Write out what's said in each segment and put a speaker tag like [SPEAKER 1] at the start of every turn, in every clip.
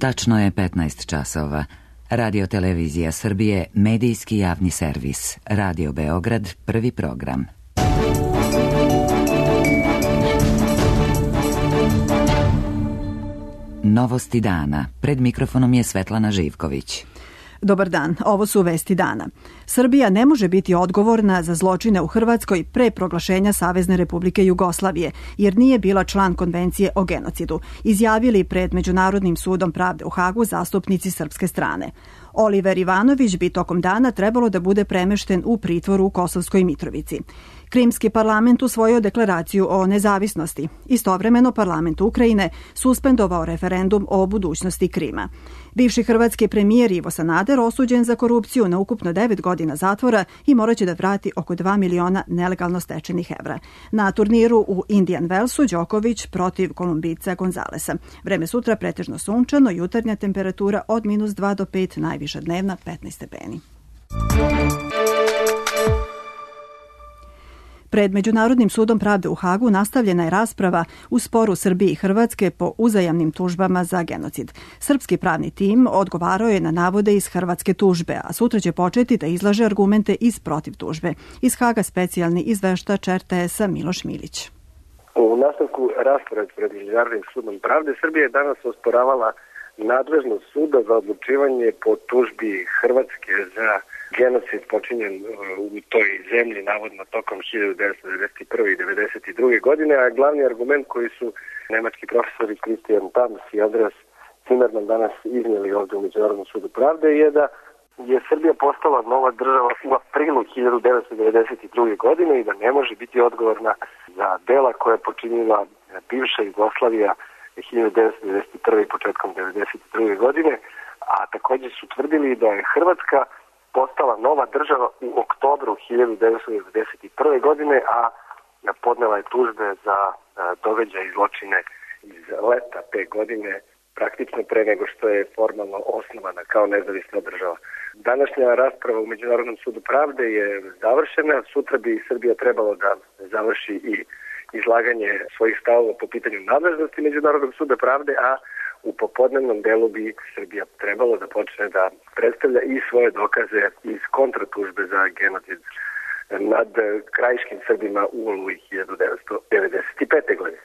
[SPEAKER 1] Tačno je 15 časova. Radio Televizija Srbije, medijski javni servis. Radio Beograd, prvi program. Novosti dana. Pred mikrofonom je Svetlana Živković.
[SPEAKER 2] Dobar dan, ovo su vesti dana. Srbija ne može biti odgovorna za zločine u Hrvatskoj pre proglašenja Savezne Republike Jugoslavije, jer nije bila član Konvencije o genocidu, izjavili pred Međunarodnim sudom pravde u Hagu zastupnici srpske strane. Oliver Ivanović bi tokom dana trebalo da bude premešten u pritvoru u Kosovskoj Mitrovici. Krimski parlament usvojio deklaraciju o nezavisnosti. Istovremeno parlament Ukrajine suspendovao referendum o budućnosti Krima. Bivši hrvatski premijer Ivo Sanader osuđen za korupciju na ukupno 9 godina zatvora i moraće da vrati oko 2 miliona nelegalno stečenih evra. Na turniru u Indian Wellsu Đoković protiv Kolumbijca Gonzalesa. Vreme sutra pretežno sunčano, jutarnja temperatura od -2 do 5, najviša dnevna 15 stepeni. Pred Međunarodnim sudom pravde u Hagu nastavljena je rasprava u sporu Srbije i Hrvatske po uzajamnim tužbama za genocid. Srpski pravni tim odgovarao je na navode iz hrvatske tužbe, a sutra će početi da izlaže argumente iz protiv tužbe. Iz Haga specijalni izveštač RTS-a Miloš Milić.
[SPEAKER 3] U nastavku rasprave pred Međunarodnim sudom pravde Srbija je danas osporavala nadležnost suda za odlučivanje po tužbi Hrvatske za genocid počinjen u toj zemlji navodno tokom 1991. i 1992. godine, a glavni argument koji su nemački profesori Christian Tams i Andreas Zimmermann danas iznijeli ovdje u Međunarodnom sudu pravde je da je Srbija postala nova država u aprilu 1992. godine i da ne može biti odgovorna za dela koje je počinila bivša Jugoslavija 1991. i početkom 1992. godine, a također su tvrdili da je Hrvatska postala nova država u oktobru 1991. godine, a podnela je tužbe za događaje i zločine iz leta te godine, praktično pre nego što je formalno osnovana kao nezavisna država. Današnja rasprava u Međunarodnom sudu pravde je završena, sutra bi Srbija trebalo da završi i izlaganje svojih stavova po pitanju nadležnosti Međunarodnog suda pravde, a u popodnevnom delu bi Srbija trebalo da počne da predstavlja i svoje dokaze iz kontratužbe za genocid nad krajiškim Srbima u Oluji 1995. godine.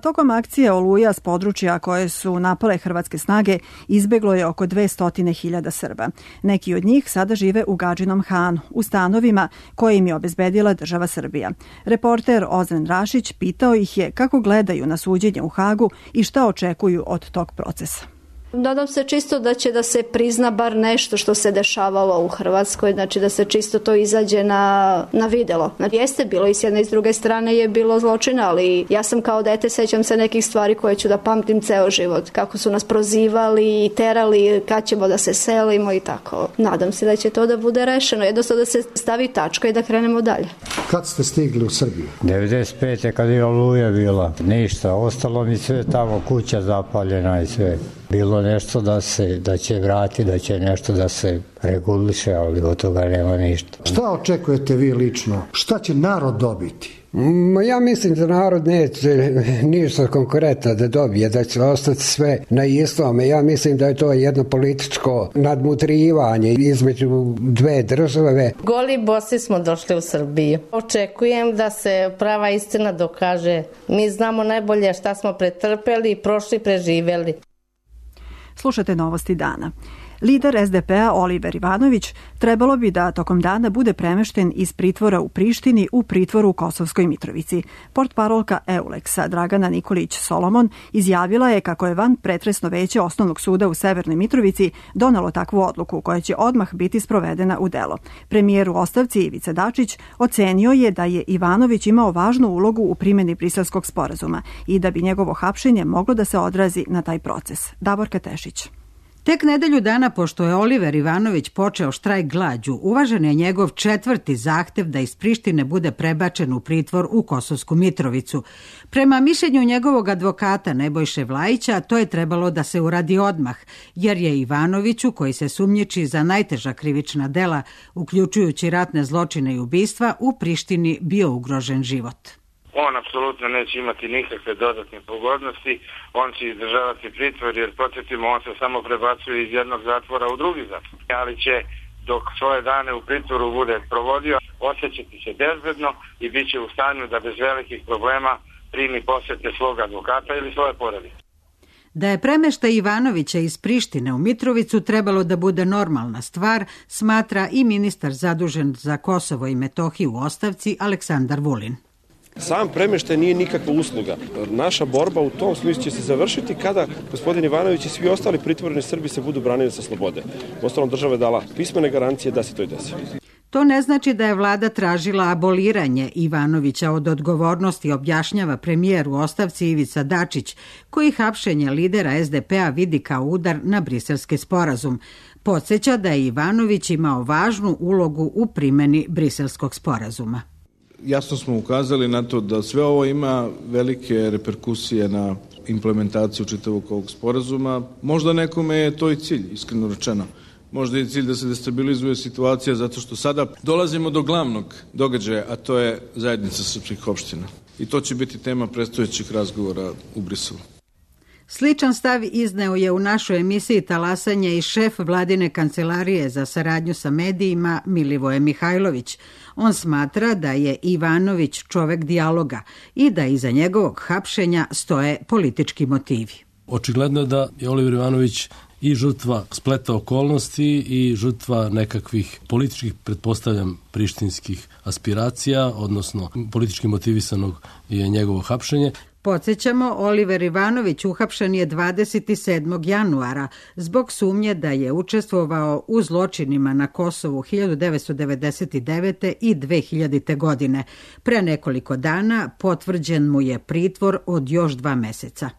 [SPEAKER 2] Tokom akcije Oluja s područja koje su napale hrvatske snage izbeglo je oko 200.000 Srba. Neki od njih sada žive u Gadžinom Hanu, u stanovima koje im je obezbedila država Srbija. Reporter Ozren Rašić pitao ih je kako gledaju na suđenje u Hagu i šta očekuju od tog procesa.
[SPEAKER 4] Nadam se čisto da će da se prizna bar nešto što se dešavalo u Hrvatskoj, znači da se čisto to izađe na videlo. Jeste bilo i s jedne i s druge strane je bilo zločina, ali ja sam kao dete sećam se nekih stvari koje ću da pamtim ceo život. Kako su nas prozivali i terali, kad ćemo da se selimo i tako. Nadam se da će to da bude rešeno, jednostavno da se stavi tačka i da krenemo dalje.
[SPEAKER 5] Kad ste stigli u Srbiju?
[SPEAKER 6] 95. kad je Oluja bila. Ništa, ostalo mi sve tamo, kuća zapaljena i sve. Bilo nešto da će vrati, da će nešto da se reguliše, ali od toga nema ništa.
[SPEAKER 5] Šta očekujete vi lično? Šta će narod dobiti?
[SPEAKER 7] Ja mislim da narod neće ništa konkretno da dobije, da će ostati sve na istome. Ja mislim da je to jedno političko nadmutrivanje između dve države.
[SPEAKER 8] Goli bosi smo došli u Srbiju. Očekujem da se prava istina dokaže. Mi znamo najbolje šta smo pretrpeli, prošli, preživeli.
[SPEAKER 2] Slušate novosti dana. Lider SDP-a Oliver Ivanović trebalo bi da tokom dana bude premešten iz pritvora u Prištini u pritvoru u Kosovskoj Mitrovici. Portparolka Euleksa Dragana Nikolić-Solomon izjavila je kako je van pretresno veće Osnovnog suda u Severnoj Mitrovici donelo takvu odluku koja će odmah biti sprovedena u delo. Premijer u ostavci Ivica Dačić ocenio je da je Ivanović imao važnu ulogu u primjeni Briselskog sporazuma i da bi njegovo hapšenje moglo da se odrazi na taj proces. Davorka Tešić.
[SPEAKER 9] Tek nedelju dana pošto je Oliver Ivanović počeo štrajk glađu, uvažen je njegov 4. zahtev da iz Prištine bude prebačen u pritvor u Kosovsku Mitrovicu. Prema mišljenju njegovog advokata Nebojše Vlajića, to je trebalo da se uradi odmah, jer je Ivanoviću, koji se sumnjiči za najteža krivična dela, uključujući ratne zločine i ubistva, u Prištini bio ugrožen život.
[SPEAKER 10] On apsolutno neće imati nikakve dodatne pogodnosti, on će izdržavati pritvor, jer podsjetimo, on se samo prebacuje iz jednog zatvora u drugi zatvor. Ali će, dok svoje dane u pritvoru bude provodio, osjećati se bezbedno i bit će u stanju da bez velikih problema primi posete svog advokata ili svoje porodice.
[SPEAKER 9] Da je premeštaj Ivanovića iz Prištine u Mitrovicu trebalo da bude normalna stvar, smatra i ministar zadužen za Kosovo i Metohiju u ostavci Aleksandar Vulin.
[SPEAKER 11] Sam premeštaj nije nikakva usluga. Naša borba u tom smislu će se završiti kada gospodin Ivanović i svi ostali pritvoreni Srbi se budu branili sa slobode. Uostalom, država je dala pismene garancije da se to i desi.
[SPEAKER 9] To ne znači da je vlada tražila aboliranje Ivanovića od odgovornosti, objašnjava premijer u ostavci Ivica Dačić, koji hapšenje lidera SDP-a vidi kao udar na briselski sporazum. Podsjeća da je Ivanović imao važnu ulogu u primjeni briselskog sporazuma.
[SPEAKER 12] Jasno smo ukazali na to da sve ovo ima velike reperkusije na implementaciju čitavog ovog sporazuma. Možda nekome je to i cilj, iskreno rečeno. Možda je cilj da se destabilizuje situacija zato što sada dolazimo do glavnog događaja, a to je zajednica srpskih opština. I to će biti tema predstojećih razgovora u Briselu.
[SPEAKER 9] Sličan stav izneo je u našoj emisiji Talasanje i šef vladine kancelarije za saradnju sa medijima Milivoje Mihajlović. On smatra da je Ivanović čovek dijaloga i da iza njegovog hapšenja stoje politički motivi.
[SPEAKER 13] Očigledno je da je Oliver Ivanović i žrtva spleta okolnosti i žrtva nekakvih političkih, pretpostavljam, prištinskih aspiracija, odnosno politički motivisanog je njegovo hapšenje.
[SPEAKER 9] Podsjećamo, Oliver Ivanović uhapšen je 27. januara zbog sumnje da je učestvovao u zločinima na Kosovu 1999. i 2000. godine. Pre nekoliko dana potvrđen mu je pritvor od još 2 meseca.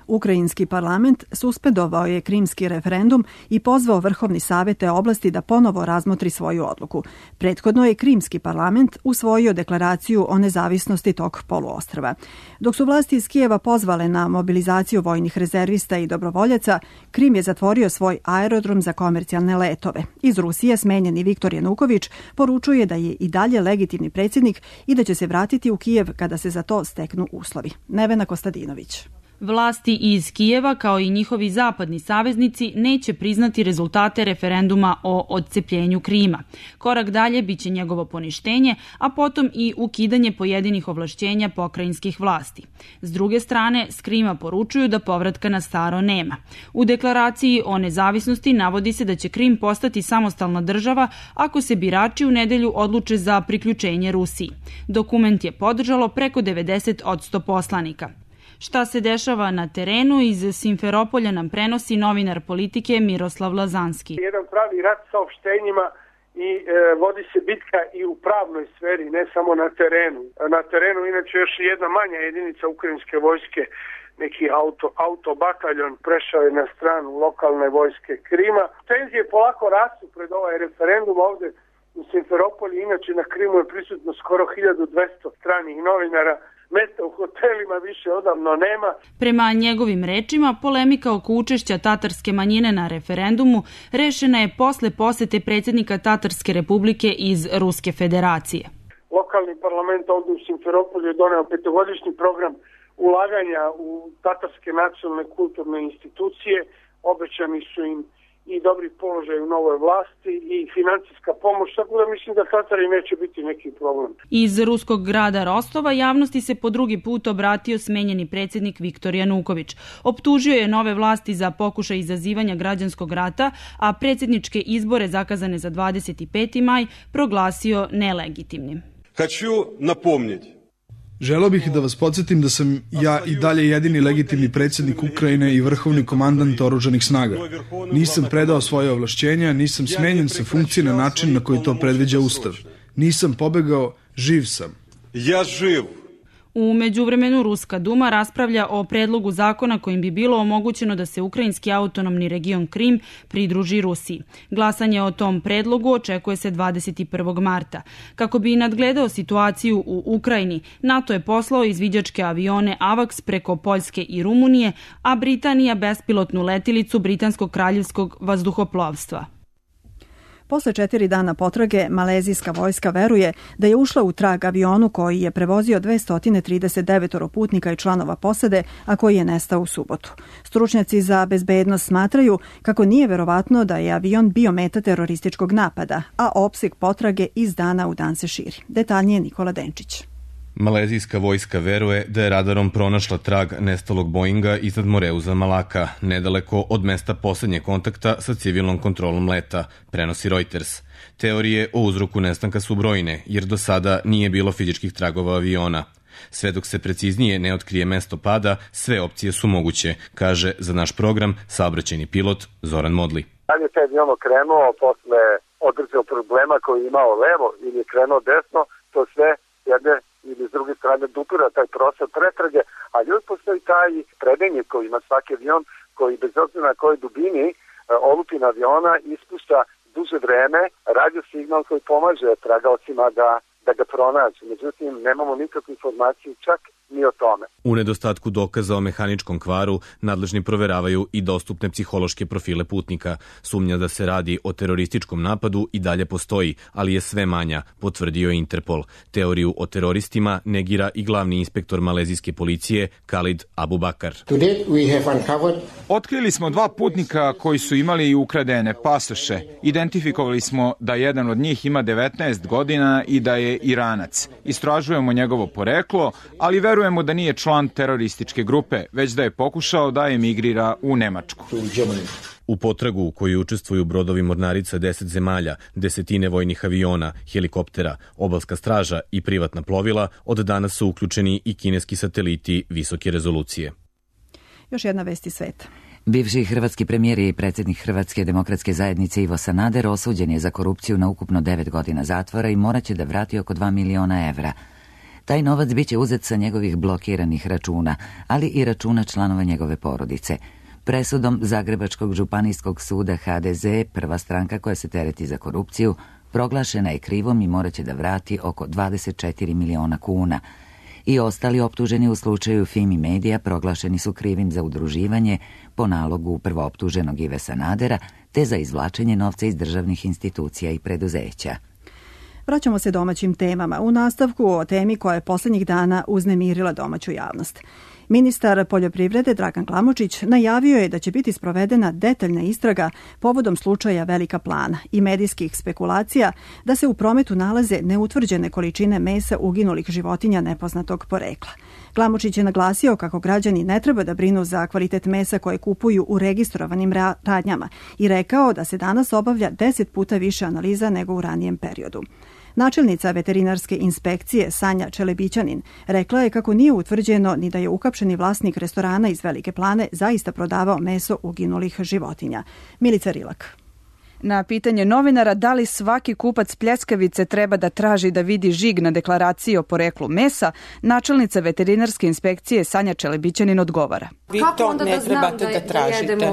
[SPEAKER 2] Ukrajinski parlament suspendovao je krimski referendum i pozvao Vrhovni savet te oblasti da ponovo razmotri svoju odluku. Prethodno je krimski parlament usvojio deklaraciju o nezavisnosti tog poluostrva. Dok su vlasti iz Kijeva pozvale na mobilizaciju vojnih rezervista i dobrovoljaca, Krim je zatvorio svoj aerodrom za komercijalne letove. Iz Rusije smenjeni Viktor Januković poručuje da je i dalje legitimni predsjednik i da će se vratiti u Kijev kada se za to steknu uslovi. Nevena Kostadinović.
[SPEAKER 14] Vlasti iz Kijeva, kao i njihovi zapadni saveznici, neće priznati rezultate referenduma o odcepljenju Krima. Korak dalje biće njegovo poništenje, a potom i ukidanje pojedinih ovlašćenja pokrajinskih vlasti. S druge strane, s Krima poručuju da povratka na staro nema. U deklaraciji o nezavisnosti navodi se da će Krim postati samostalna država ako se birači u nedelju odluče za priključenje Rusiji. Dokument je podržalo preko 90% poslanika. Šta se dešava na terenu, iz Simferopolja nam prenosi novinar Politike Miroslav Lazanski.
[SPEAKER 15] Jedan pravi rat saopštenjima i vodi se bitka i u pravnoj sferi, ne samo na terenu. Na terenu inače još jedna manja jedinica ukrajinske vojske, neki autobataljon, prešao je na stranu lokalne vojske Krima. Tenzije polako rastu pred ovaj referendum ovde u Simferopolju. Inače na Krimu je prisutno skoro 1200 stranih novinara. Mesta u hotelima više odavno nema.
[SPEAKER 14] Prema njegovim rečima, polemika oko učešća tatarske manjine na referendumu rešena je posle posete predsjednika Tatarske republike iz Ruske federacije.
[SPEAKER 15] Lokalni parlament ovdje u Simferopolju je doneo 5-godišnji program ulaganja u tatarske nacionalne kulturne institucije. Obećani su im i dobri položaj u novoj vlasti i financijska pomoć, tako da mislim da Tatari neće biti neki problem.
[SPEAKER 14] Iz ruskog grada Rostova javnosti se po drugi put obratio smenjeni predsjednik Viktor Januković. Optužio je nove vlasti za pokušaj izazivanja građanskog rata, a predsjedničke izbore zakazane za 25. maj proglasio nelegitimnim.
[SPEAKER 16] Хочу напомнiti.
[SPEAKER 17] Želeo bih da vas podsjetim da sam ja i dalje jedini legitimni predsjednik Ukrajine i vrhovni komandant oružanih snaga. Nisam predao svoje ovlašćenja, nisam smenjen sa funkcije na način na koji to predviđa Ustav. Nisam pobegao, živ sam.
[SPEAKER 16] Ja živ.
[SPEAKER 14] U međuvremenu Ruska duma raspravlja o predlogu zakona kojim bi bilo omogućeno da se ukrajinski autonomni region Krim pridruži Rusiji. Glasanje o tom predlogu očekuje se 21. marta. Kako bi nadgledao situaciju u Ukrajini, NATO je poslao izviđačke avione AVAX preko Poljske i Rumunije, a Britanija bespilotnu letilicu Britanskog kraljevskog vazduhoplovstva.
[SPEAKER 2] Posle 4 dana potrage, malezijska vojska veruje da je ušla u trag avionu koji je prevozio 239 putnika i članova posade, a koji je nestao u subotu. Stručnjaci za bezbednost smatraju kako nije verovatno da je avion bio meta terorističkog napada, a opseg potrage iz dana u dan se širi. Detaljnije Nikola Denčić.
[SPEAKER 18] Malezijska vojska veruje da je radarom pronašla trag nestalog Boeinga iznad Moreuza Malaka, nedaleko od mesta poslednjeg kontakta sa civilnom kontrolom leta, prenosi Reuters. Teorije o uzroku nestanka su brojne, jer do sada nije bilo fizičkih tragova aviona. Sve dok se preciznije ne otkrije mesto pada, sve opcije su moguće, kaže za naš program saobraćajni pilot Zoran Modli.
[SPEAKER 19] Da li je taj avion krenuo posle određenog problema koji je imao levo ili je krenuo desno, to sve jedne ili s druge strane dupira taj prostor pretrage, ali uvijek postoji taj predajnik koji ima svaki avion koji bez obzira na kojoj dubini olupina aviona ispušta duže vreme radio signal koji pomaže tragaocima da ga pronađu. Međutim, nemamo nikakvu informaciju čak ni o tome.
[SPEAKER 18] U nedostatku dokaza o mehaničkom kvaru, nadležni proveravaju i dostupne psihološke profile putnika. Sumnja da se radi o terorističkom napadu i dalje postoji, ali je sve manja, potvrdio Interpol. Teoriju o teroristima negira i glavni inspektor malezijske policije Khalid Abubakar.
[SPEAKER 20] Otkrili smo 2 putnika koji su imali ukradene pasoše. Identifikovali smo da jedan od njih ima 19 godina i da je Iranac. Istražujemo njegovo poreklo, ali verujemo da nije član terorističke grupe, već da je pokušao da emigrira u Nemačku.
[SPEAKER 18] U potragu u kojoj učestvuju brodovi mornarica 10 zemalja, desetine vojnih aviona, helikoptera, obalska straža i privatna plovila, od danas su uključeni i kineski sateliti visoke rezolucije.
[SPEAKER 2] Još jedna vest iz sveta.
[SPEAKER 1] Bivši hrvatski premijer i predsjednik Hrvatske demokratske zajednice Ivo Sanader osuđen je za korupciju na ukupno 9 godina zatvora i morat će da vrati oko 2 miliona evra. Taj novac biće uzet sa njegovih blokiranih računa, ali i računa članova njegove porodice. Presudom Zagrebačkog županijskog suda HDZ, prva stranka koja se tereti za korupciju, proglašena je krivom i morat će da vrati oko 24 miliona kuna. I ostali optuženi u slučaju Fimi Media proglašeni su krivim za udruživanje po nalogu prvooptuženog Ive Sanadera, te za izvlačenje novca iz državnih institucija i preduzeća.
[SPEAKER 2] Vraćamo se domaćim temama. U nastavku o temi koja je posljednjih dana uznemirila domaću javnost. Ministar poljoprivrede Dragan Glamočić najavio je da će biti sprovedena detaljna istraga povodom slučaja Velika Plana i medijskih spekulacija da se u prometu nalaze neutvrđene količine mesa uginulih životinja nepoznatog porekla. Glamočić je naglasio kako građani ne treba da brinu za kvalitet mesa koje kupuju u registrovanim radnjama i rekao da se danas obavlja 10 puta više analiza nego u ranijem periodu. Načelnica veterinarske inspekcije Sanja Čelebićanin rekla je kako nije utvrđeno ni da je uhapšeni vlasnik restorana iz Velike Plane zaista prodavao meso uginulih životinja. Milica Rilak.
[SPEAKER 21] Na pitanje novinara da li svaki kupac pljeskavice treba da traži da vidi žig na deklaraciji o poreklu mesa, načelnica veterinarske inspekcije Sanja Čelebićanin odgovara.
[SPEAKER 22] Vi to ne trebate da tražite.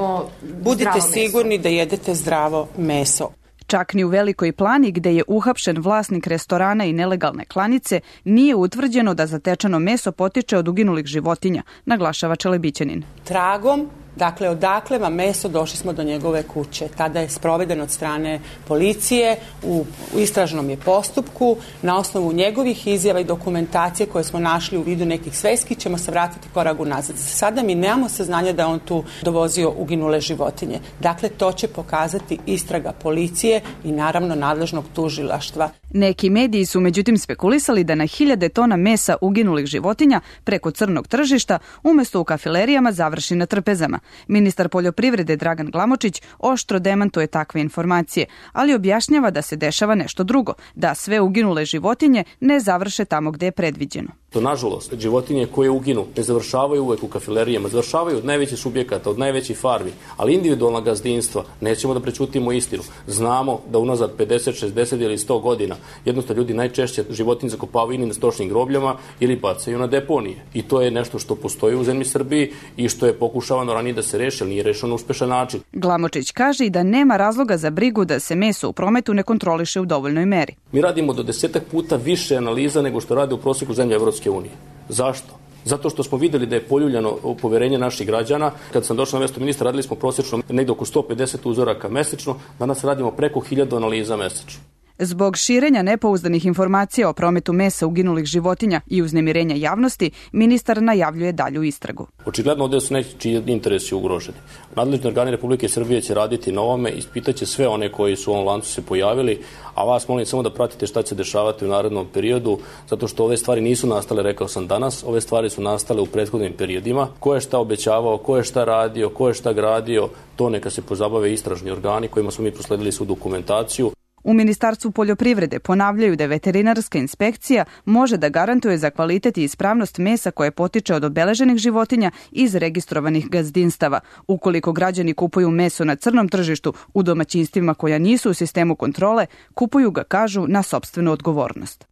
[SPEAKER 22] Budite sigurni da jedete zdravo meso.
[SPEAKER 21] Čak ni u Velikoj Plani, gde je uhapšen vlasnik restorana i nelegalne klanice, nije utvrđeno da zatečeno meso potiče od uginulih životinja, naglašava Čelebićanin.
[SPEAKER 22] Tragom, dakle odakle vam meso, došli smo do njegove kuće. Tada je sproveden od strane policije, u istražnom je postupku, na osnovu njegovih izjava i dokumentacije koje smo našli u vidu nekih sveski, ćemo se vratiti korak unazad. Sada mi nemamo saznanja da on tu dovozio uginule životinje. Dakle, to će pokazati istraga policije i naravno nadležnog tužilaštva.
[SPEAKER 21] Neki mediji su međutim spekulisali da na 1000 tona mesa uginulih životinja preko crnog tržišta umesto u kafilerijama završi na trpezama. Ministar poljoprivrede Dragan Glamočić oštro demantuje takve informacije, ali objašnjava da se dešava nešto drugo, da sve uginule životinje ne završe tamo gde je predviđeno.
[SPEAKER 23] To, nažalost, životinje koje uginu ne završavaju uvek u kafilerijama, završavaju od najvećih subjekata, od najvećih farmi, ali individualna gazdinstva, nećemo da prećutimo istinu. Znamo da unazad 50, 60 ili 100 godina jednostavno ljudi najčešće životinje zakopavaju ili na stočnim grobljama ili bacaju na deponije. I to je nešto što postoji u zemlji Srbiji i što je pokušavano ranije da se reši, ali nije rešeno na uspešan način.
[SPEAKER 21] Glamočić kaže i da nema razloga za brigu da se meso u prometu ne kontroliše u dovoljnoj meri.
[SPEAKER 23] Mi radimo do 10 puta više analiza nego što rade u prosjeku zemlje Evropske unije. Zašto? Zato što smo videli da je poljuljano poverenje naših građana. Kad sam došao na mesto ministra, radili smo prosječno negde oko 150 uzoraka mesečno, danas radimo preko 1000 analiza mesečno.
[SPEAKER 21] Zbog širenja nepouzdanih informacija o prometu mesa uginulih životinja i uznemirenja javnosti, ministar najavljuje dalju istragu.
[SPEAKER 23] Očigledno ovdje su nečiji interesi ugroženi. Nadležni organi Republike Srbije će raditi na ovome, ispitaće sve one koji su u ovom lancu se pojavili, a vas molim samo da pratite šta će se dešavati u narednom periodu, zato što ove stvari nisu nastale, rekao sam danas, ove stvari su nastale u prethodnim periodima. Ko je šta obećavao, ko je šta radio, ko je šta gradio, to neka se pozabave istražni organi kojima smo mi prosledili svu dokumentaciju.
[SPEAKER 21] U Ministarstvu poljoprivrede ponavljaju da veterinarska inspekcija može da garantuje za kvalitet i ispravnost mesa koje potiče od obeleženih životinja iz registrovanih gazdinstava. Ukoliko građani kupuju meso na crnom tržištu u domaćinstvima koja nisu u sistemu kontrole, kupuju ga, kažu, na sopstvenu odgovornost.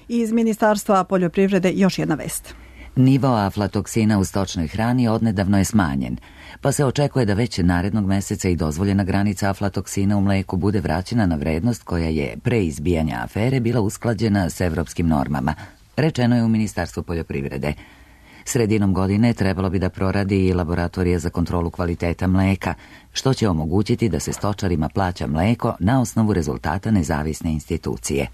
[SPEAKER 2] Iz Ministarstva poljoprivrede još jedna vest.
[SPEAKER 1] Nivo aflatoksina u stočnoj hrani odnedavno je smanjen, pa se očekuje da već narednog meseca i dozvoljena granica aflatoksina u mleku bude vraćena na vrednost koja je pre izbijanja afere bila usklađena s evropskim normama, rečeno je u Ministarstvu poljoprivrede. Sredinom godine trebalo bi da proradi i laboratorija za kontrolu kvaliteta mleka, što će omogućiti da se stočarima plaća mleko na osnovu rezultata nezavisne institucije.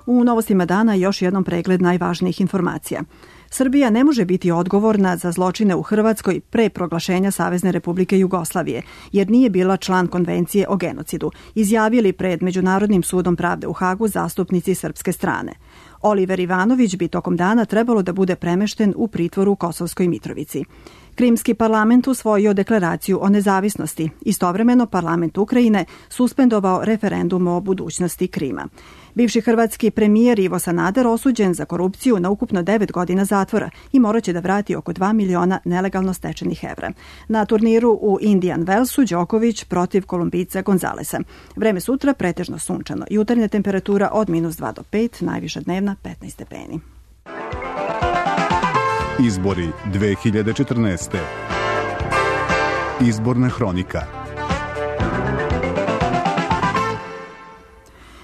[SPEAKER 2] U novostima dana još jednom pregled najvažnijih informacija. Srbija ne može biti odgovorna za zločine u Hrvatskoj pre proglašenja Savezne Republike Jugoslavije, jer nije bila član konvencije o genocidu, izjavili pred Međunarodnim sudom pravde u Hagu zastupnici srpske strane. Oliver Ivanović bi tokom dana trebalo da bude premešten u pritvor u Kosovskoj Mitrovici. Krimski parlament usvojio deklaraciju o nezavisnosti. Istovremeno parlament Ukrajine suspendovao referendum o budućnosti Krima. Bivši hrvatski premijer Ivo Sanader osuđen za korupciju na ukupno 9 godina zatvora i moraće da vrati oko 2 miliona nelegalno stečenih evra. Na turniru u Indian Wellsu Đoković protiv Kolumbijca Gonzalesa. Vreme sutra pretežno sunčano. Jutarnja temperatura od -2 do 5, najviša dnevna 15 stepeni.
[SPEAKER 3] Izbori 2014. Izborna hronika.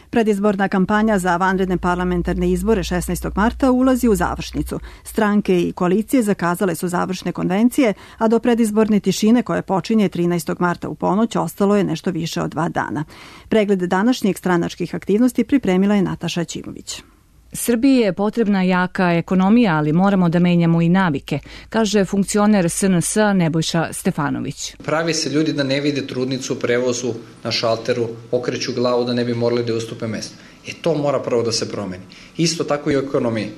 [SPEAKER 2] Predizborna kampanja za vanredne parlamentarne izbore 16. marta ulazi u završnicu. Stranke i koalicije zakazale su završne konvencije, a do predizborne tišine koje počinje 13. marta u ponoć ostalo je nešto više od 2 dana. Pregled današnjih stranačkih aktivnosti pripremila je Nataša Ćimović.
[SPEAKER 4] Srbiji je potrebna jaka ekonomija, ali moramo da menjamo i navike, kaže funkcioner SNS Nebojša Stefanović.
[SPEAKER 6] Pravi se ljudi da ne vide trudnicu u prevozu na šalteru, okreću glavu da ne bi morali da ustupe mesto. To mora prvo da se promeni. Isto tako i u ekonomiji.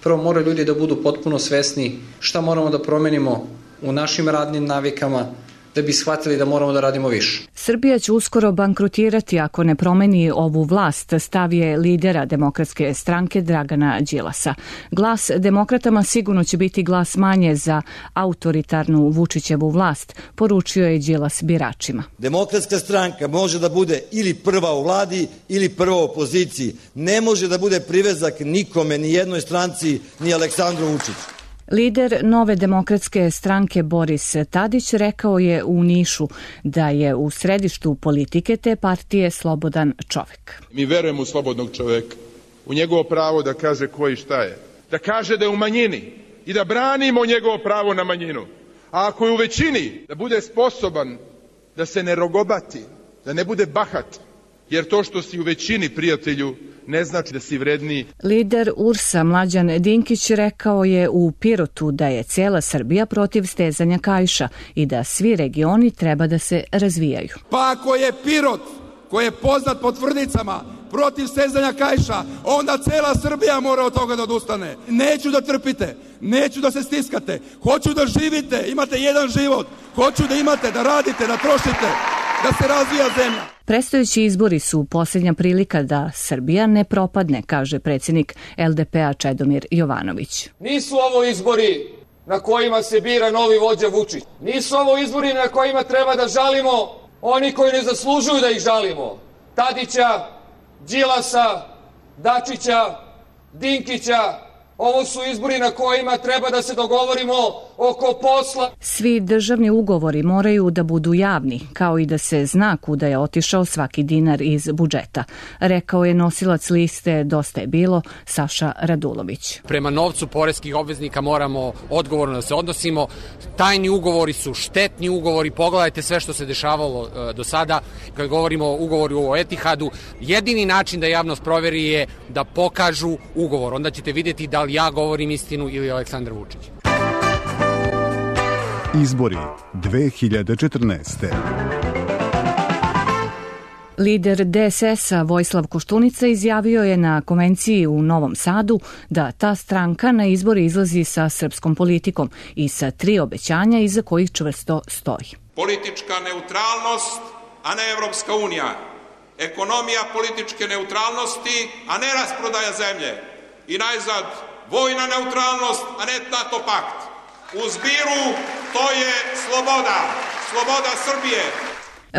[SPEAKER 6] Prvo moraju ljudi da budu potpuno svesni šta moramo da promenimo u našim radnim navikama, da bi shvatili da moramo da radimo više.
[SPEAKER 4] Srbija će uskoro bankrotirati ako ne promeni ovu vlast, stav je lidera Demokratske stranke Dragana Đilasa. Glas demokratama sigurno će biti glas manje za autoritarnu Vučićevu vlast, poručio je Đilas biračima.
[SPEAKER 24] Demokratska stranka može da bude ili prva u vladi ili prva u opoziciji. Ne može da bude privezak nikome, ni jednoj stranci, ni Aleksandru Vučiću.
[SPEAKER 4] Lider Nove demokratske stranke Boris Tadić rekao je u Nišu da je u središtu politike te partije slobodan čovek.
[SPEAKER 25] Mi verujemo u slobodnog čoveka, u njegovo pravo da kaže ko i šta je, da kaže da je u manjini i da branimo njegovo pravo na manjinu. A ako je u većini, da bude sposoban da se ne rogobati, da ne bude bahat, jer to što si u većini, prijatelju, ne znači da si vredniji.
[SPEAKER 4] Lider URS-a Mlađan Dinkić rekao je u Pirotu da je cijela Srbija protiv stezanja kaiša i da svi regioni treba da se razvijaju.
[SPEAKER 26] Pa ako je Pirot, koji je poznat po tvrdicama, protiv stezanja kaiša, onda cela Srbija mora od toga da odustane. Neću da trpite, neću da se stiskate, hoću da živite, imate jedan život, hoću da imate, da radite, da trošite, da se razvija zemlja.
[SPEAKER 4] Predstojeći izbori su posljednja prilika da Srbija ne propadne, kaže predsjednik LDP-a Čedomir Jovanović.
[SPEAKER 27] Nisu ovo izbori na kojima se bira novi vođa Vučić. Nisu ovo izbori na kojima treba da žalimo oni koji ne zaslužuju da ih žalimo. Tadića, Đilasa, Dačića, Dinkića, Ovo su izbori na kojima treba da se dogovorimo oko posla.
[SPEAKER 4] Svi državni ugovori moraju da budu javni, kao i da se zna kuda je otišao svaki dinar iz budžeta, rekao je nosilac liste Dosta je bilo Saša Radulović.
[SPEAKER 5] Prema novcu poreskih obveznika moramo odgovorno da se odnosimo. Tajni ugovori su štetni ugovori, pogledajte sve što se dešavalo do sada. Kad govorimo o ugovoru o Etihadu, jedini način da javnost proveri je da pokažu ugovor. Onda ćete vidjeti da li ja govorim istinu ili Aleksandar Vučić.
[SPEAKER 3] Izbori 2014.
[SPEAKER 4] Lider DSS-a Vojislav Koštunica izjavio je na konvenciji u Novom Sadu da ta stranka na izbori izlazi sa srpskom politikom i sa 3 obećanja iza kojih čvrsto stoji.
[SPEAKER 7] Politička neutralnost, a ne Evropska unija. Ekonomija političke neutralnosti, a ne rasprodaja zemlje. I najzad, vojna neutralnost, a ne NATO pakt. U zbiru to je sloboda. Sloboda Srbije.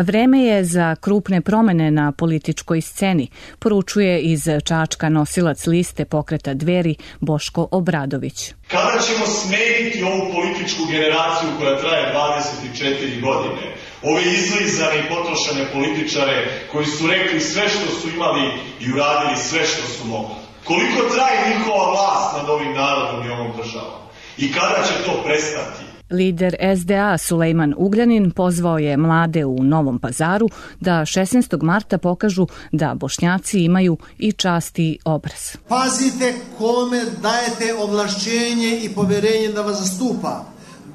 [SPEAKER 4] Vreme je za krupne promene na političkoj sceni, poručuje iz Čačka nosilac liste pokreta Dveri Boško Obradović.
[SPEAKER 8] Kada ćemo smeniti ovu političku generaciju koja traje 24 godine? Ove izlizane i potrošene političare koji su rekli sve što su imali i uradili sve što su mogli. Koliko traje njihova vlast nad ovim narodom i ovom državom? I kada će to prestati?
[SPEAKER 4] Lider SDA Sulejman Ugljanin pozvao je mlade u Novom Pazaru da 16. marta pokažu da Bošnjaci imaju i čast i obraz.
[SPEAKER 10] Pazite kome dajete ovlašćenje i poverenje da vas zastupa.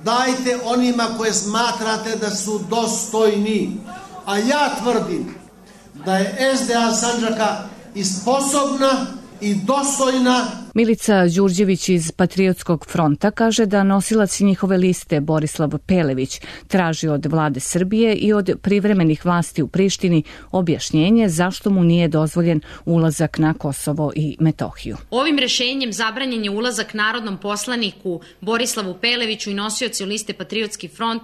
[SPEAKER 10] Dajte onima koje smatrate da su dostojni. A ja tvrdim da je SDA Sandžaka i sposobna i dostojna.
[SPEAKER 4] Milica Đurđević iz Patriotskog fronta kaže da nosilac njihove liste Borislav Pelević traži od vlade Srbije i od privremenih vlasti u Prištini objašnjenje zašto mu nije dozvoljen ulazak na Kosovo i Metohiju.
[SPEAKER 11] Ovim rešenjem zabranjen je ulazak narodnom poslaniku Borislavu Peleviću i nosiocu liste Patriotski front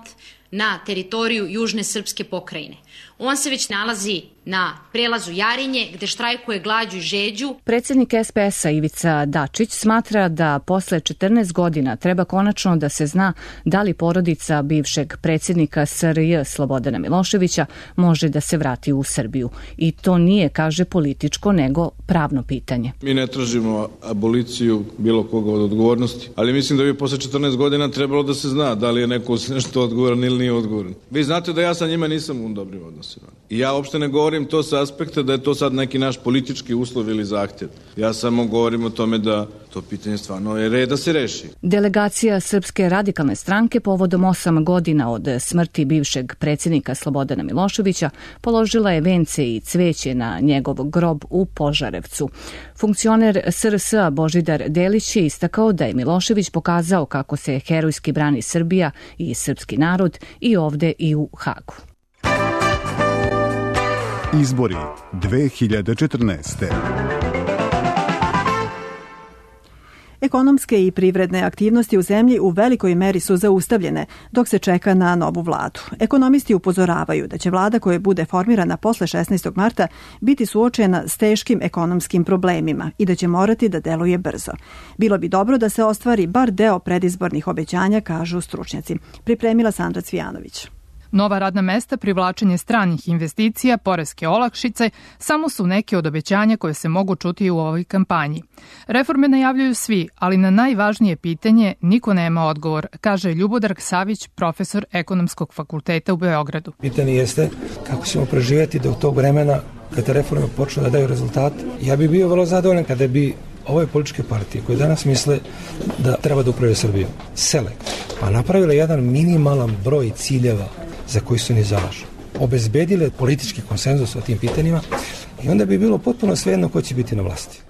[SPEAKER 11] na teritoriju Južne srpske pokrajine. On se već nalazi na prelazu Jarinje, gde štrajkuje glađu i žeđu.
[SPEAKER 4] Predsjednik SPS-a Ivica Dačić smatra da posle 14 godina treba konačno da se zna da li porodica bivšeg predsjednika SRJ Slobodana Miloševića može da se vrati u Srbiju. I to nije, kaže, političko, nego pravno pitanje.
[SPEAKER 12] Mi ne tražimo aboliciju bilo koga od odgovornosti, ali mislim da bi posle 14 godina trebalo da se zna da li je neko nešto odgovoran ili nije odgovoran. Vi znate da ja sa njima nisam u dobrim odnosima. I ja uopšte ne govorim to sa aspekta da je to sad neki naš politički uslov ili zahtjev. Ja samo govorim o tome da to pitanje stvarno je red da se reši.
[SPEAKER 4] Delegacija Srpske radikalne stranke povodom 8 godina od smrti bivšeg predsjednika Slobodana Miloševića položila je vence i cveće na njegov grob u Požarevcu. Funkcioner SRS-a Božidar Delić je istakao da je Milošević pokazao kako se herojski brani Srbija i srpski narod i ovde i u Hagu.
[SPEAKER 3] Izbori 2014.
[SPEAKER 2] Ekonomske i privredne aktivnosti u zemlji u velikoj meri su zaustavljene dok se čeka na novu vladu. Ekonomisti upozoravaju da će vlada koja bude formirana posle 16. marta biti suočena s teškim ekonomskim problemima i da će morati da deluje brzo. Bilo bi dobro da se ostvari bar deo predizbornih obećanja, kažu stručnjaci. Pripremila Sandra Cvijanović.
[SPEAKER 13] Nova radna mesta, privlačenje stranih investicija, poreske olakšice samo su neke od obećanja koje se mogu čuti u ovoj kampanji. Reforme najavljuju svi, ali na najvažnije pitanje niko nema odgovor, kaže Ljubodar Savić, profesor Ekonomskog fakulteta u Beogradu.
[SPEAKER 28] Pitanje jeste kako ćemo preživjeti do tog vremena kada reforme počnu da daju rezultat. Ja bih bio vrlo zadovoljan kada bi ove političke partije koje danas misle da treba da upravljaju Srbiju sele, pa napravile jedan minimalan broj ciljeva za koji su ni zalažu. Obezbedile politički konsenzus o tim pitanjima i onda bi bilo potpuno svejedno ko će biti na vlasti.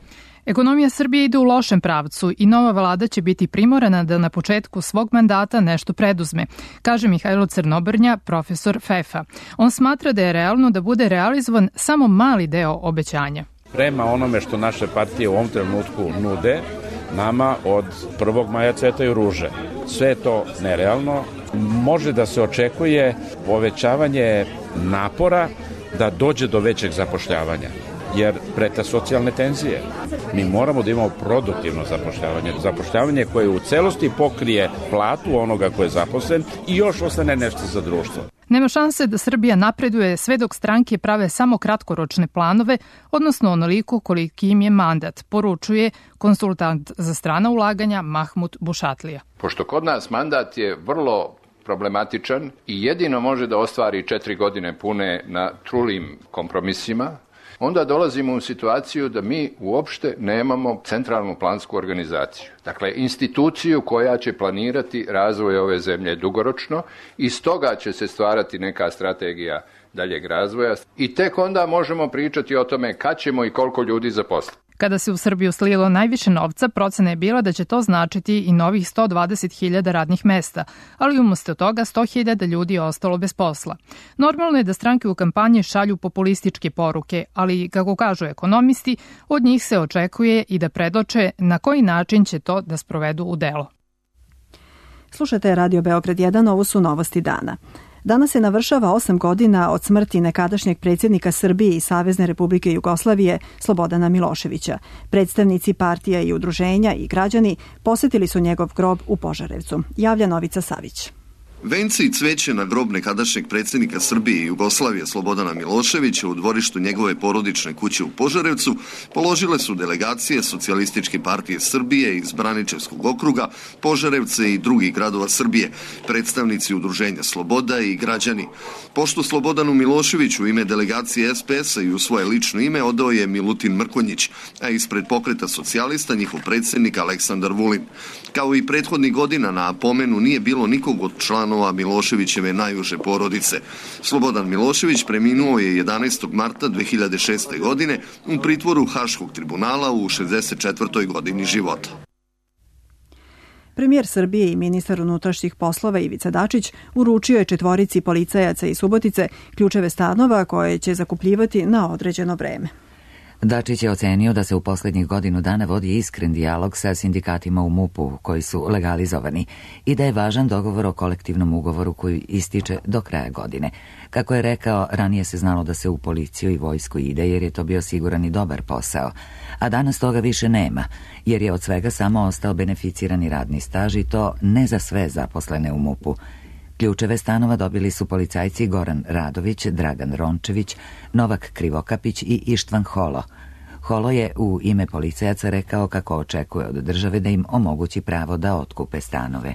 [SPEAKER 13] Ekonomija Srbije ide u lošem pravcu i nova vlada će biti primorana da na početku svog mandata nešto preduzme, kaže Mihajlo Crnobrnja, profesor FEF-a. On smatra da je realno da bude realizovan samo mali deo obećanja.
[SPEAKER 29] Prema onome što naše partije u ovom trenutku nude, nama od 1. maja cvetaju ruže. Sve je to nerealno. Može da se očekuje povećavanje napora da dođe do većeg zapošljavanja. jer prete socijalne tenzije. Mi moramo da imamo produktivno zapošljavanje koje u celosti pokrije platu onoga ko je zaposlen i još ostane nešto za društvo.
[SPEAKER 13] Nema šanse da Srbija napreduje sve dok stranke prave samo kratkoročne planove, odnosno onoliko koliki im je mandat, poručuje konsultant za strana ulaganja Mahmud Bušatlija.
[SPEAKER 9] Pošto kod nas mandat je vrlo problematičan i jedino može da ostvari 4 godine pune na trulim kompromisima, onda dolazimo u situaciju da mi uopšte nemamo centralnu plansku organizaciju. Dakle, instituciju koja će planirati razvoj ove zemlje dugoročno i stoga će se stvarati neka strategija daljeg razvoja i tek onda možemo pričati o tome kad ćemo i koliko ljudi zaposliti.
[SPEAKER 13] Kada se u Srbiju slilo najviše novca, procena je bila da će to značiti i novih 120.000 radnih mesta, ali umesto toga 100.000 ljudi je ostalo bez posla. Normalno je da stranke u kampanji šalju populističke poruke, ali, kako kažu ekonomisti, od njih se očekuje i da predoče na koji način će to da sprovedu u delo.
[SPEAKER 2] Slušate Radio Beograd 1, ovo su novosti dana. Danas se navršava 8 godina od smrti nekadašnjeg predsjednika Srbije i Savezne Republike Jugoslavije Slobodana Miloševića. Predstavnici partija i udruženja i građani posetili su njegov grob u Požarevcu. Javlja Novica Savić.
[SPEAKER 14] Venci i cveće na grob nekadašnjeg predsjednika Srbije i Jugoslavije Slobodana Miloševića u dvorištu njegove porodične kuće u Požarevcu položile su delegacije Socijalističke partije Srbije iz Braničevskog okruga, Požarevce i drugih gradova Srbije, predstavnici udruženja Sloboda i građani. Poštu Slobodanu Miloševiću u ime delegacije SPS-a i u svoje lično ime odao je Milutin Mrkonjić, a ispred Pokreta socijalista njihov predsjednik Aleksandar Vulin. Kao i prethodnih godina na pomenu nije bilo nikog od članova Miloševićeve najuže porodice. Slobodan Milošević preminuo je 11. marta 2006. godine u pritvoru Haškog tribunala u 64. godini života.
[SPEAKER 2] Premijer Srbije i ministar unutrašnjih poslova Ivica Dačić uručio je 4 policajaca iz Subotice ključeve stanova koje će zakupljivati na određeno vreme.
[SPEAKER 1] Dačić je ocenio da se u posljednjih godinu dana vodi iskren dijalog sa sindikatima u MUP-u koji su legalizovani i da je važan dogovor o kolektivnom ugovoru koji ističe do kraja godine. Kako je rekao, ranije se znalo da se u policiju i vojsku ide jer je to bio siguran i dobar posao, a danas toga više nema jer je od svega samo ostao beneficirani radni staž i to ne za sve zaposlene u MUP-u. Ključeve stanova dobili su policajci Goran Radović, Dragan Rončević, Novak Krivokapić i Ištvan Holo. Holo je u ime policajaca rekao kako očekuje od države da im omogući pravo da otkupe stanove.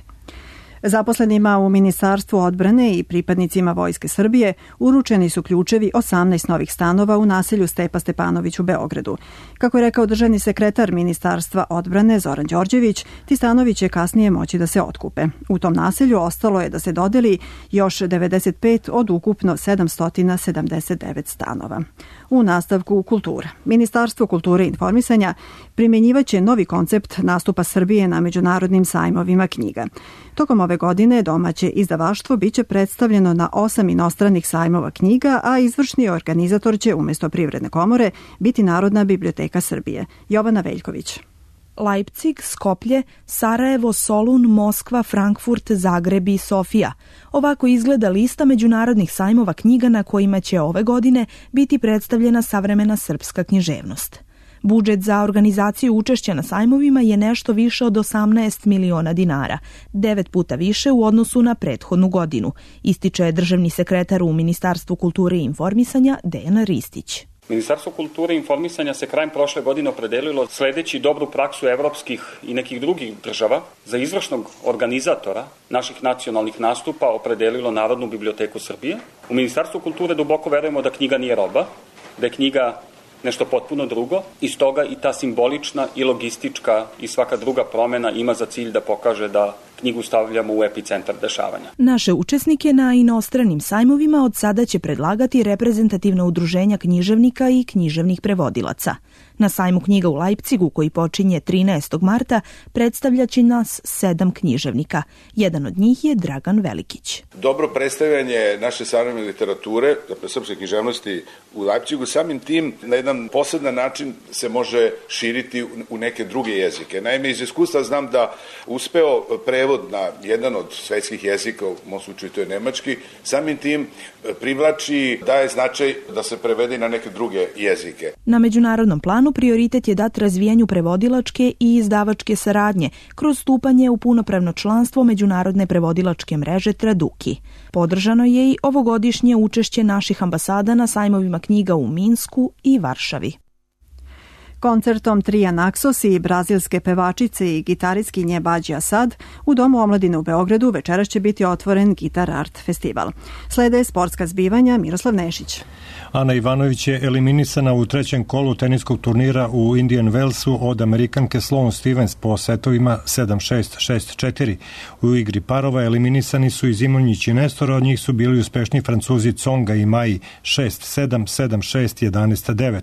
[SPEAKER 2] Zaposlenima u Ministarstvu odbrane i pripadnicima Vojske Srbije uručeni su ključevi 18 novih stanova u naselju Stepa Stepanović u Beogradu. Kako je rekao državni sekretar Ministarstva odbrane Zoran Đorđević, ti stanovi će kasnije moći da se otkupe. U tom naselju ostalo je da se dodeli još 95 od ukupno 779 stanova. U nastavku kultura. Ministarstvo kulture i informisanja primjenjivaće novi koncept nastupa Srbije na međunarodnim sajmovima knjiga. Tokom ove godine domaće izdavaštvo biće predstavljeno na 8 inostranih sajmova knjiga, a izvršni organizator će umjesto Privredne komore biti Narodna biblioteka Srbije. Jovana Veljković.
[SPEAKER 15] Leipzig, Skoplje, Sarajevo, Solun, Moskva, Frankfurt, Zagreb i Sofija. Ovako izgleda lista međunarodnih sajmova knjiga na kojima će ove godine biti predstavljena savremena srpska književnost. Budžet za organizaciju učešća na sajmovima je nešto više od 18 miliona dinara, 9 puta više u odnosu na prethodnu godinu, ističe državni sekretar u Ministarstvu kulture i informisanja Dejan Ristić.
[SPEAKER 16] Ministarstvo kulture i informisanja se krajem prošle godine opredelilo sledeći dobru praksu evropskih i nekih drugih država za izvršnog organizatora naših nacionalnih nastupa opredelilo Narodnu biblioteku Srbije. U Ministarstvu kulture duboko verujemo da knjiga nije roba, da je knjiga nešto potpuno drugo i stoga i ta simbolična i logistička i svaka druga promjena ima za cilj da pokaže da knjigu stavljamo u epicentar dešavanja.
[SPEAKER 15] Naše učesnike na inostranim sajmovima od sada će predlagati reprezentativna udruženja književnika i književnih prevodilaca. Na sajmu knjiga u Leipzigu, koji počinje 13. marta, predstavljaće nas 7 književnika. Jedan od njih je Dragan Velikić.
[SPEAKER 17] Dobro predstavljanje naše savremene literature, dakle srpske književnosti u Leipzigu, samim tim na jedan poseban način se može širiti u neke druge jezike. Naime, iz iskustva znam da uspeo prevod prevod na jedan od svetskih jezika, u mom slučaju to je nemački, samim tim privlači, daje značaj da se prevede na neke druge jezike.
[SPEAKER 15] Na međunarodnom planu prioritet je dat razvijanju prevodilačke i izdavačke saradnje kroz stupanje u punopravno članstvo Međunarodne prevodilačke mreže Traduki. Podržano je i ovogodišnje učešće naših ambasada na sajmovima knjiga u Minsku i Varšavi.
[SPEAKER 2] Koncertom trija Naxos i brazilske pevačice i gitaristkinje Bađi Asad u Domu omladine u Beogradu večeras će biti otvoren Gitar Art festival. Slede sportska zbivanja, Miroslav Nešić.
[SPEAKER 6] Ana Ivanović je eliminisana u trećem kolu teniskog turnira u Indian Wellsu od Amerikanke Sloane Stevens po setovima 7-6, 6-4. U igri parova eliminisani su i Zimonjić i Nestor, od njih su bili uspešni Francuzi Tsonga i Maji 6-7, 7-6, 11-9.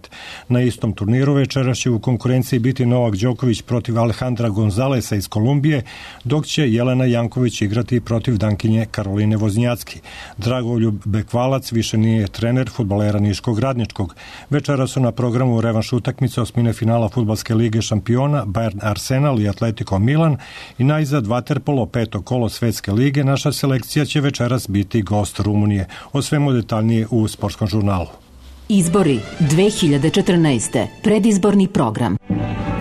[SPEAKER 6] Na istom turniru večeras će u konkurenciji biti Novak Đoković protiv Alejandra Gonzalesa iz Kolumbije, dok će Jelena Janković igrati protiv Dankinje Karoline Voznjacki. Dragoljub Bekvalac više nije trener fudbalera Niškog Radničkog. Večera su na programu revanš utakmice osmine finala Fudbalske lige šampiona Bayern Arsenal i Atletico Milan i najzad vaterpolo peto kolo Svetske lige. Naša selekcija će večeras biti gost Rumunije. O svemu detaljnije u Sportskom žurnalu.
[SPEAKER 18] Izbori 2014. Predizborni program.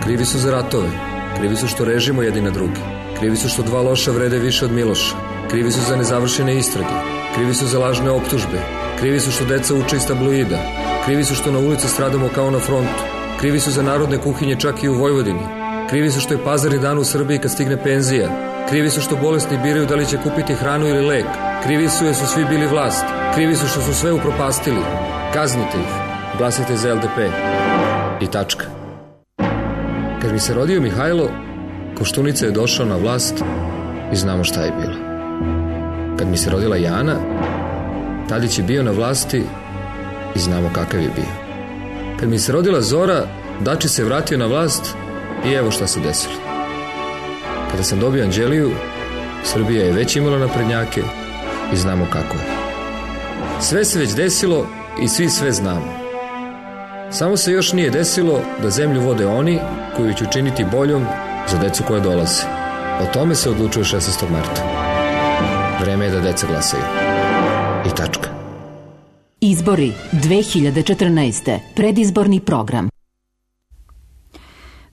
[SPEAKER 19] Krivi su za ratove. Krivi su što režimo jedni na drugi. Krivi su što dva loša vrede više od Miloša. Krivi su za nezavršene istrage. Krivi su za lažne optužbe. Krivi su što deca uče iz tabloida. Krivi su što na ulici stradamo kao na frontu. Krivi su za narodne kuhinje čak i u Vojvodini. Krivi su što je pazarni dan u Srbiji kad stigne penzija. Krivi su što bolesni biraju da li će kupiti hranu ili lek. Krivi su jer su svi bili vlast. Krivi su što su sve upropastili. Kaznite ih. Glasajte za LDP. I tačka. Kad mi se rodio Mihajlo, Koštunica je došao na vlast i znamo šta je bilo. Kad mi se rodila Jana, Tadić je bio na vlasti i znamo kakav je bio. Kad mi se rodila Zora, Dači se vratio na vlast i evo šta se desilo. Kada sam dobio Anđeliju, Srbija je već imala naprednjake i znamo kako je. Sve se već desilo i svi sve znamo. Samo se još nije desilo da zemlju vode oni koji će učiniti boljom za decu koja dolaze. O tome se odlučuje 16. marta. Vreme je da deca glasaju. I tačka.
[SPEAKER 18] Izbori 2014. Predizborni program.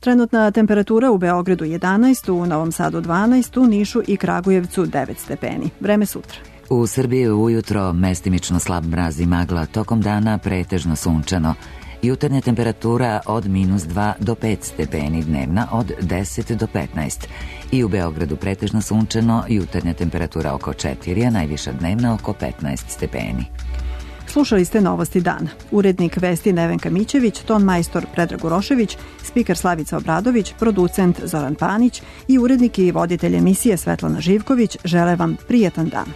[SPEAKER 2] Trenutna temperatura u Beogradu 11, u Novom Sadu 12, u Nišu i Kragujevcu 9 stepeni. Vreme sutra.
[SPEAKER 1] U Srbiji ujutro mestimično slab mraz i magla, tokom dana pretežno sunčano. Jutarnja temperatura od -2 do 5 stepeni, dnevna od 10 do 15. I u Beogradu pretežno sunčano, jutarnja temperatura oko 4, a najviša dnevna oko 15 stepeni.
[SPEAKER 2] Slušali ste Novosti dana. Urednik vesti Nevenka Mićević, ton majstor Predrag Urošević, spiker Slavica Obradović, producent Zoran Panić i urednik i voditelj emisije Svetlana Živković žele vam prijatan dan.